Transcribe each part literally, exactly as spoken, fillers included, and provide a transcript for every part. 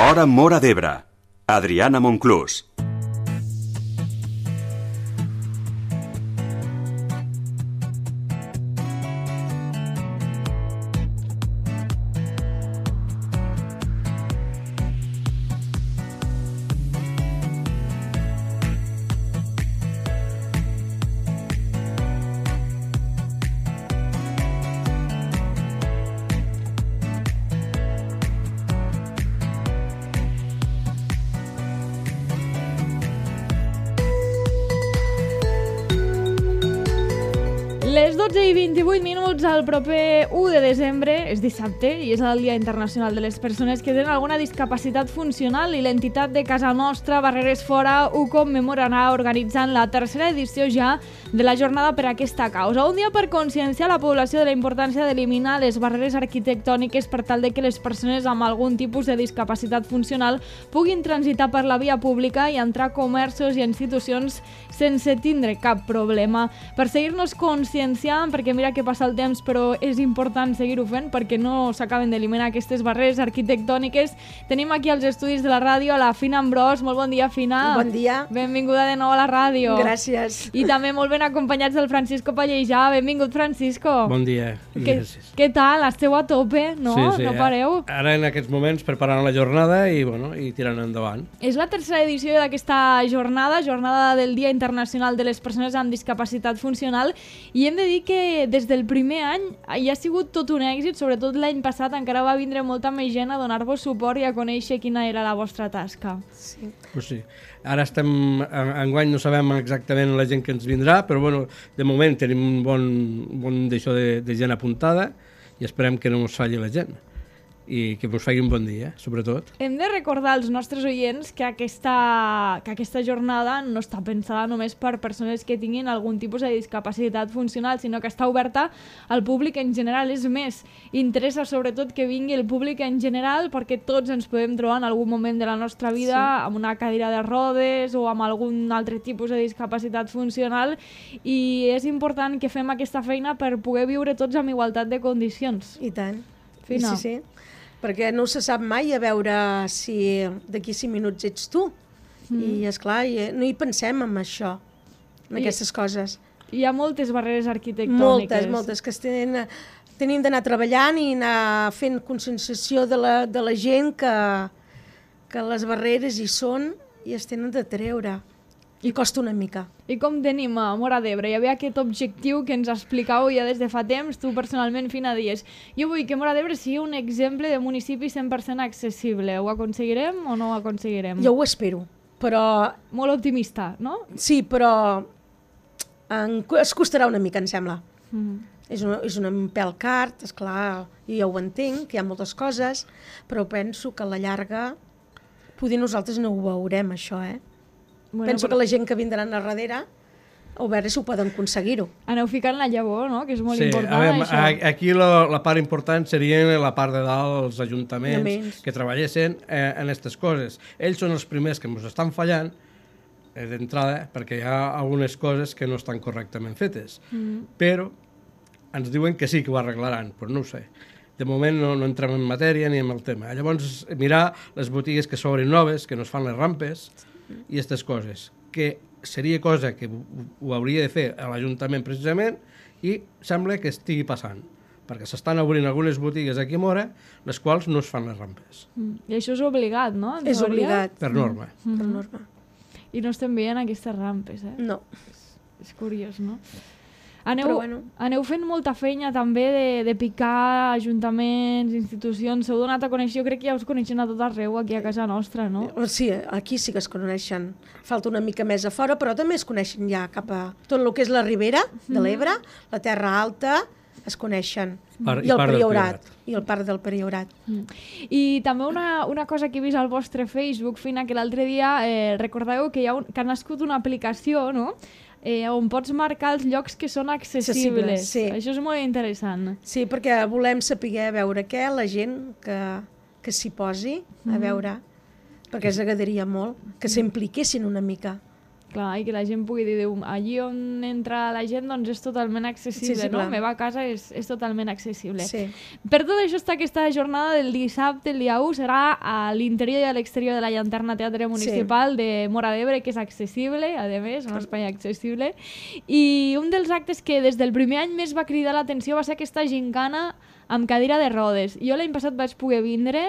Hora Móra d'Ebre. Adriana Monclús. Les dotze i vint-i-vuit minuts, el proper u de desembre, és dissabte, i és el Dia Internacional de les Persones que tenen alguna discapacitat funcional, i l'entitat de casa nostra, Barreres Fora, ho commemorarà organitzant la tercera edició ja de la jornada per aquesta causa. Un dia per conscienciar la població de la importància d'eliminar les barreres arquitectòniques per tal de que les persones amb algun tipus de discapacitat funcional puguin transitar per la via pública i entrar a comerços i institucions sense tindre cap problema. Per seguir-nos conscienciant, perquè mira que passa el temps, però és important seguir-ho fent perquè no s'acaben d'eliminar aquestes barreres arquitectòniques. Tenim aquí als estudis de la ràdio a la Fina Ambrós. Molt bon dia, Fina. Bon dia. Benvinguda de nou a la ràdio. Gràcies. I també molt ben acompanyats del Francisco Pallejà. Benvingut, Francisco. Bon dia. Que, què tal? Esteu a tope, no? Sí, sí. No pareu? Ara en aquests moments preparant la jornada i, bueno, i tirant endavant. És la tercera edició d'aquesta jornada, jornada del Dia Internacional de les Persones amb Discapacitat Funcional, i hem de dir que des del primer any hi ha sigut tot un èxit, sobretot l'any passat encara va vindre molta més gent a donar-vos suport i a conèixer quina era la vostra tasca. Sí. Pues sí. Ara estem, enguany no sabem exactament la gent que ens vindrà, però bueno, de moment tenim un bon, un bon d'això de, de gent apuntada i esperem que no ens falli la gent i que ens faci un bon dia, sobretot. Hem de recordar als nostres oients que aquesta, que aquesta jornada no està pensada només per persones que tinguin algun tipus de discapacitat funcional, sinó que està oberta al públic en general. És més, interessa sobretot que vingui el públic en general perquè tots ens podem trobar en algun moment de la nostra vida sí. amb una cadira de rodes o amb algun altre tipus de discapacitat funcional, i és important que fem aquesta feina per poder viure tots amb igualtat de condicions. I tant. Fina. Sí, sí. Perquè no se sap mai a veure si d'aquí cinc minuts ets tu. Mm. I, esclar, no hi pensem en això, en I, aquestes coses. Hi ha moltes barreres arquitectòniques. Moltes, moltes, que es tenen, tenim d'anar treballant i anar fent conscienciació de la, de la gent que, que les barreres hi són i es tenen de treure. I costa una mica. I com tenim a Móra d'Ebre? Hi havia aquest objectiu que ens explicàveu ja des de fa temps, tu personalment, Fina, dies. Jo vull que Móra d'Ebre sigui un exemple de municipi cent per cent accessible. Ho aconseguirem o no ho aconseguirem? Jo ho espero, però... Molt optimista, no? Sí, però en... es costarà una mica, em sembla. Mm-hmm. És, una, és un pèl car, esclar, i ja ho entenc, que hi ha moltes coses, però penso que a la llarga potser nosaltres no ho veurem, això, eh? Bueno, Penso però... que la gent que vindran a darrere a veure si ho poden aconseguir-ho. Aneu ficant la llavor, no? Que és molt sí, important, a veure, això. Aquí la, la part important seria la part de dalt, els ajuntaments Aments. que treballessin eh, en aquestes coses. Ells són els primers que ens estan fallant eh, d'entrada perquè hi ha algunes coses que no estan correctament fetes. Mm. Però ens diuen que sí que ho arreglaran, però no ho sé. De moment no, no entrem en matèria ni en el tema. Llavors, mirar les botigues que s'obren noves, que no es fan les rampes, i aquestes coses, que seria cosa que ho hauria de fer a l'Ajuntament precisament, i sembla que estigui passant, perquè s'estan obrint algunes botigues aquí a Móra, les quals no es fan les rampes. Mm. I això és obligat, no? En és teoria? obligat. Per norma. Mm. Per norma. I no estem veient aquestes rampes, eh? No. És, és curiós, no? Aneu, Però bueno. aneu fent molta feina també de, de picar ajuntaments, institucions, s'heu donat a conèixer, jo crec que ja us coneixen a tot arreu aquí a casa nostra, no? Sí, aquí sí que es coneixen. Falta una mica més a fora, però també es coneixen ja cap a tot el que és la Ribera de l'Ebre, mm. la Terra Alta, es coneixen. Par, I el Priorat. I el parc del Priorat. Mm. I també una, una cosa que he vist al vostre Facebook, Fina, que l'altre dia eh, recordeu que, hi ha un, que ha nascut una aplicació, no?, Eh, on pots marcar els llocs que són accessibles. Sí. Això és molt interessant. Sí, perquè volem saber a veure què la gent que, que s'hi posi a veure, mm. perquè ens agradaria molt que s'impliquessin una mica. Clar, i que la gent pugui dir, allí on entra la gent doncs és totalment accessible, sí, sí, no? La meva casa és, és totalment accessible. Sí. Per tot això està aquesta jornada del dissabte, el dia u, serà a l'interior i a l'exterior de la Llanterna Teatre Municipal sí. de Móra d'Ebre, que és accessible, a més, un espai accessible. I un dels actes que des del primer any més va cridar l'atenció va ser aquesta gincana amb cadira de rodes. Jo l'any passat vaig poder vindre,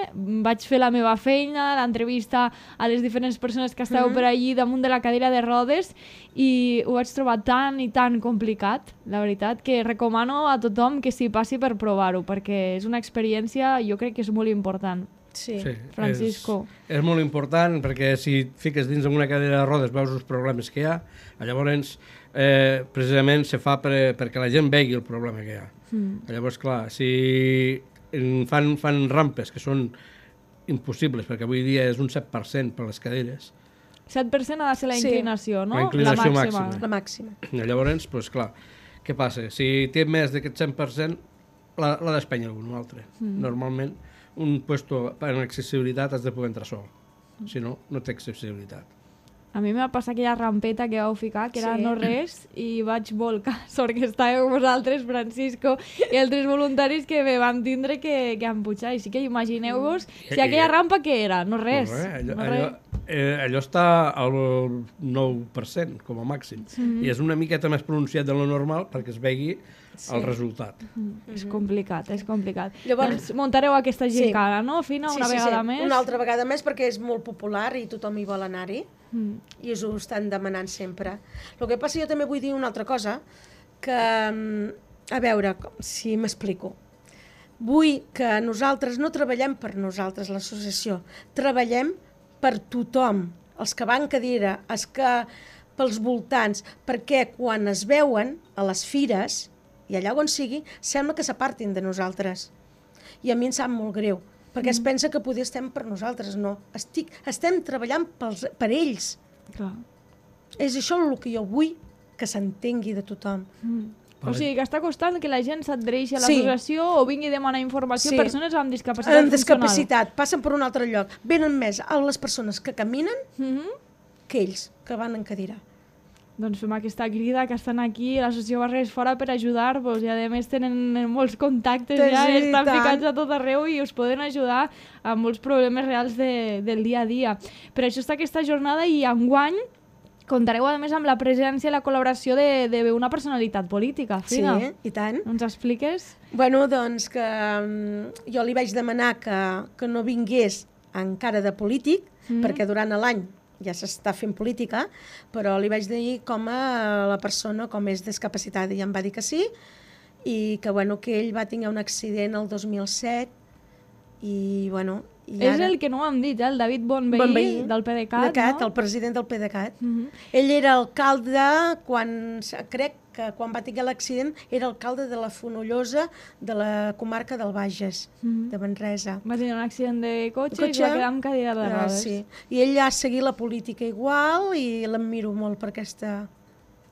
vaig fer la meva feina, l'entrevista a les diferents persones que esteu mm-hmm. per allí damunt de la cadira de rodes i ho vaig trobar tan i tan complicat, la veritat, que recomano a tothom que s'hi passi per provar-ho, perquè és una experiència, jo crec que és molt important. Sí, sí Francisco. És, és molt important perquè si et fiques dins d'una cadira de rodes veus els problemes que hi ha, llavors eh, precisament se fa per, perquè la gent vegi el problema que hi ha. Mm. Llavors, clar, si fan, fan rampes que són impossibles, perquè avui dia és un set per cent per les caderes. set per cent ha de ser la inclinació, sí. no? La inclinació la màxima. La màxima. Llavors, doncs, clar, què passa? Si té més d'aquest cent per cent, l'ha d'espènyer algun altre. Mm. Normalment, un puesto en accessibilitat has de poder entrar sol. Si no, no té accessibilitat. A mi m'ha passat aquella rampeta que vau ficar, que era sí. no res, i vaig volcar. Sort que estàveu vosaltres, Francisco, i altres voluntaris que me van tindre que, que empujar. I sí que imagineu-vos si aquella rampa què era? No res. No, eh? allò, no allò, res. Eh, allò està al nou per cent, com a màxim. Mm-hmm. I és una miqueta més pronunciat de lo normal perquè es vegi sí. el resultat. Mm-hmm. És complicat, és complicat. Llavors, doncs muntareu aquesta gincana, sí. no, Fina, una sí, sí, vegada sí. més? Una altra vegada més perquè és molt popular i tothom hi vol anar-hi. Mm. I us ho estan demanant sempre. El que passa, jo també vull dir una altra cosa, que, a veure, si m'explico. Vull que nosaltres no treballem per nosaltres, l'associació, treballem per tothom, els que van cadira, els que pels voltants, perquè quan es veuen a les fires, i allà on sigui, sembla que s'apartin de nosaltres. I a mi em sap molt greu, perquè es pensa que poder estem per nosaltres, no. Estic, estem treballant pels, per ells. Clar. És això el que jo vull que s'entengui de tothom. Mm. O sigui, que està costant que la gent s'adhereixi a l'associació sí. o vingui a demanar informació a sí. persones amb discapacitat amb funcional. discapacitat, passen per un altre lloc. Venen més a les persones que caminen mm-hmm. que ells, que van en cadira. Doncs fem aquesta crida, que estan aquí, l'associació Barreres Fora per ajudar-vos i a més tenen molts contactes ja, sí, estan tant. ficats a tot arreu i us poden ajudar a molts problemes reals de, del dia a dia. Per això està aquesta jornada i enguany comptareu a més amb la presència i la col·laboració d'una personalitat política. Fina. Sí, i tant. Ens expliques? Bueno, doncs que um, jo li vaig demanar que, que no vingués encara de polític, mm. perquè durant l'any ja s'està fent política, però li vaig dir com a la persona com és discapacitada i em va dir que sí, i que, bueno, que ell va tenir un accident el dos mil set i, bueno... I és ara... el que no ho hem dit, eh? El David Bonveí, Bonveí del PDeCAT, Cat, no? El president del PDeCAT. Uh-huh. Ell era alcalde quan, crec que quan va tenir l'accident, era alcalde de la Fonollosa de la comarca del Bages, uh-huh. de Manresa. Va tenir un accident de cotxe, cotxe? i es va quedar amb cadira de rodes. Ah, sí. I ell ha seguit la política igual i l'admiro molt per aquesta,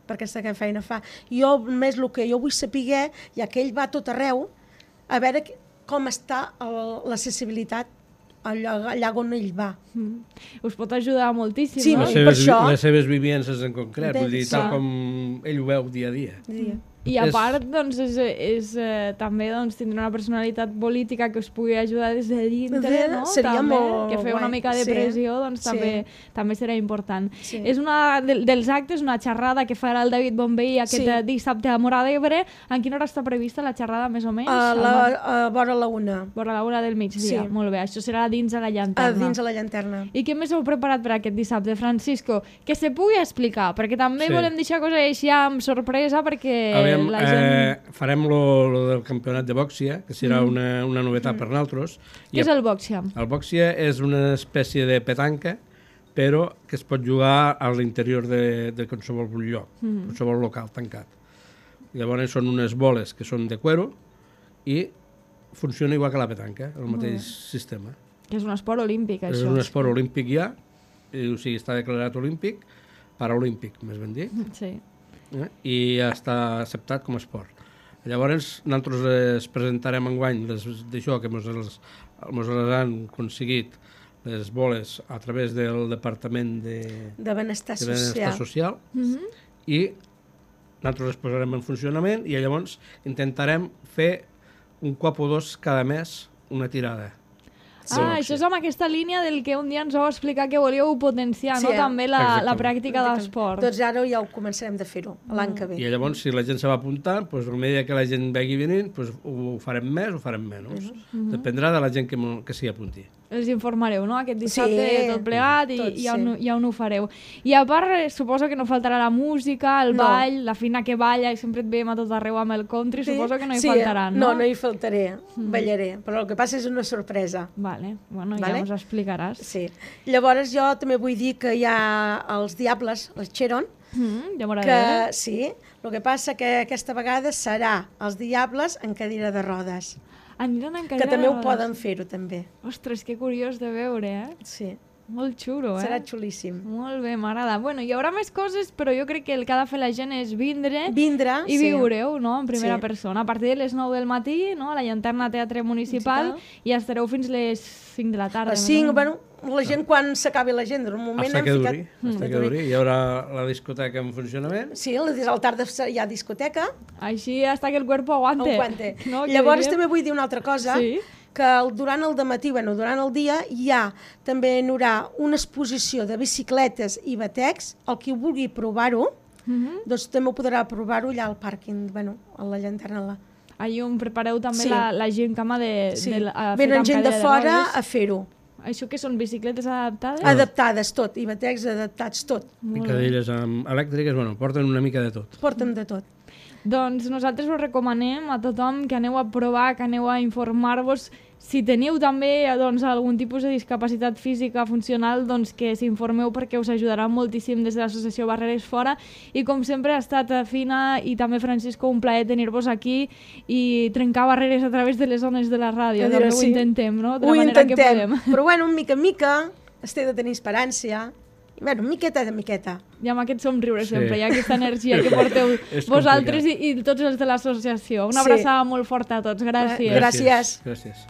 per aquesta feina fa. Jo, més el que jo vull saber, ja que ell va a tot arreu, a veure com està l'accessibilitat allà, allà on ell va. Mm. Us pot ajudar moltíssim, sí, no? Les seves, per això... les seves vivències en concret, vull dir, tal sí. com ell ho veu dia a dia. dia. I a part, doncs, és, és, eh, també doncs, tindre una personalitat política que us pugui ajudar des de dintre, no? Seria també, molt que fer una mica de sí. pressió, doncs sí. també, també serà important. Sí. És una de, dels actes, una xerrada que farà el David Bonveí aquest sí. dissabte a Móra d'Ebre. En quina hora està prevista la xerrada, més o menys? A, la, a vora la una. Vora la una del migdia, sí. Molt bé. Això serà dins de la llanterna. A dins de la llanterna. I què més heu preparat per aquest dissabte, Francisco? Que se pugui explicar, perquè també sí. volem deixar coses així amb sorpresa, perquè Aviam, la gent... Eh, farem lo, lo del campionat de bòxia, que serà mm. una, una novetat mm. per nosaltres. Què és el bòxia? El bòxia és una espècie de petanca, però que es pot jugar a l'interior de, de qualsevol lloc, mm. qualsevol local tancat. Llavors són unes boles que són de cuero i funciona igual que la petanca, el mateix mm. sistema. Que és un esport olímpic, això. És un esport olímpic ja, o sigui, està declarat olímpic, paraolímpic, més ben dit. Sí. Eh? I ja està acceptat com a esport. Llavors, nosaltres es presentarem enguany d'això que ens les han aconseguit les boles a través del Departament de, de Benestar de Benestar Social, Social Mhm. i nosaltres les posarem en funcionament i llavors intentarem fer un cop o dos cada mes una tirada. Ah, això és amb aquesta línia del que un dia ens vau explicar que volíeu potenciar, Sí, no? eh? També la, la Exactament. pràctica d'esport. Doncs ara ja ho començarem de fer-ho, l'any que ve. I llavors, si la gent se va apuntar, doncs, a mesura que la gent vegi venint, doncs, ho farem més o farem menys. Mhm. Dependrà de la gent que, mo- que s'hi apunti. Els informareu, no? Aquest dissabte Sí, tot plegat i, tot, i on, sí. i on ho fareu. I a part, eh, suposo que no faltarà la música, el No. ball, la Fina que balla i sempre et veiem a tot arreu amb el country, suposo que no hi sí, faltaran, no? no? No, no hi faltaré, ballaré, però el que passa és una sorpresa. Vale, bueno, ja Vale. ens ho explicaràs. Sí. Llavors jo també vull dir que hi ha els Diables, els Cheron, Mm, ja m'ho que agrada. sí, el que passa que aquesta vegada serà els Diables en cadira de rodes, Aniran en que cadira també de ho rodes. poden fer-ho també. Ostres, que curiós de veure, eh? Sí, Molt xulo, eh? serà xulíssim. Molt bé, m'agrada. Bueno, hi haurà més coses, però jo crec que el que ha de fer la gent és vindre Vindre, i sí. viureu, no?, en primera Sí. persona. A partir de les nou del matí, no?, a la Llanterna Teatre Municipal, Municipal. i estareu fins les cinc de la tarda. A les més o cinc, menys. bueno, la gent quan s'acabi la gent, en un moment Hasta hem que ficat... duri, hasta que duri. Hi haurà la discoteca en funcionament. Sí, les des al tarda hi ha discoteca, Així hasta que el cuerpo aguante. aguante. No, que Llavors diríem- també vull dir una altra cosa, Sí. que el, durant el dematí, bueno, durant el dia, hi ha també hi haurà una exposició de bicicletes i batecs, el qui vulgui provar-ho, Mhm. doncs també ho podrà provar-ho allà al pàrquing, bueno, a la llanterna. La... Ahí on prepareu també Sí. la, la gent cama de, Sí. de, a, Venen feta gent amb de cadira fora rodes. a fer-ho. Això que són bicicletes adaptades? Adaptades tot, i batecs adaptats tot. I cadires amb elèctriques, bueno, porten una mica de tot. Porten de tot. Doncs nosaltres us recomanem a tothom que aneu a provar, que aneu a informar-vos. Si teniu també doncs, algun tipus de discapacitat física funcional, doncs que s'informeu perquè us ajudarà moltíssim des de l'associació Barreres Fora. I com sempre ha estat Fina i també Francisco un plaer tenir-vos aquí i trencar barreres a través de les zones de la ràdio. A dir, També ho sí. intentem, no? De Ho la manera que intentem, podem. però bueno, mica en mica, es té de tenir esperància. Bueno, miqueta de miqueta. I amb aquest somriure Sí. sempre, hi ha aquesta energia que porteu És vosaltres i, i tots els de l'associació. Una Sí. abraçada molt forta a tots. Gràcies. Gràcies. Gràcies.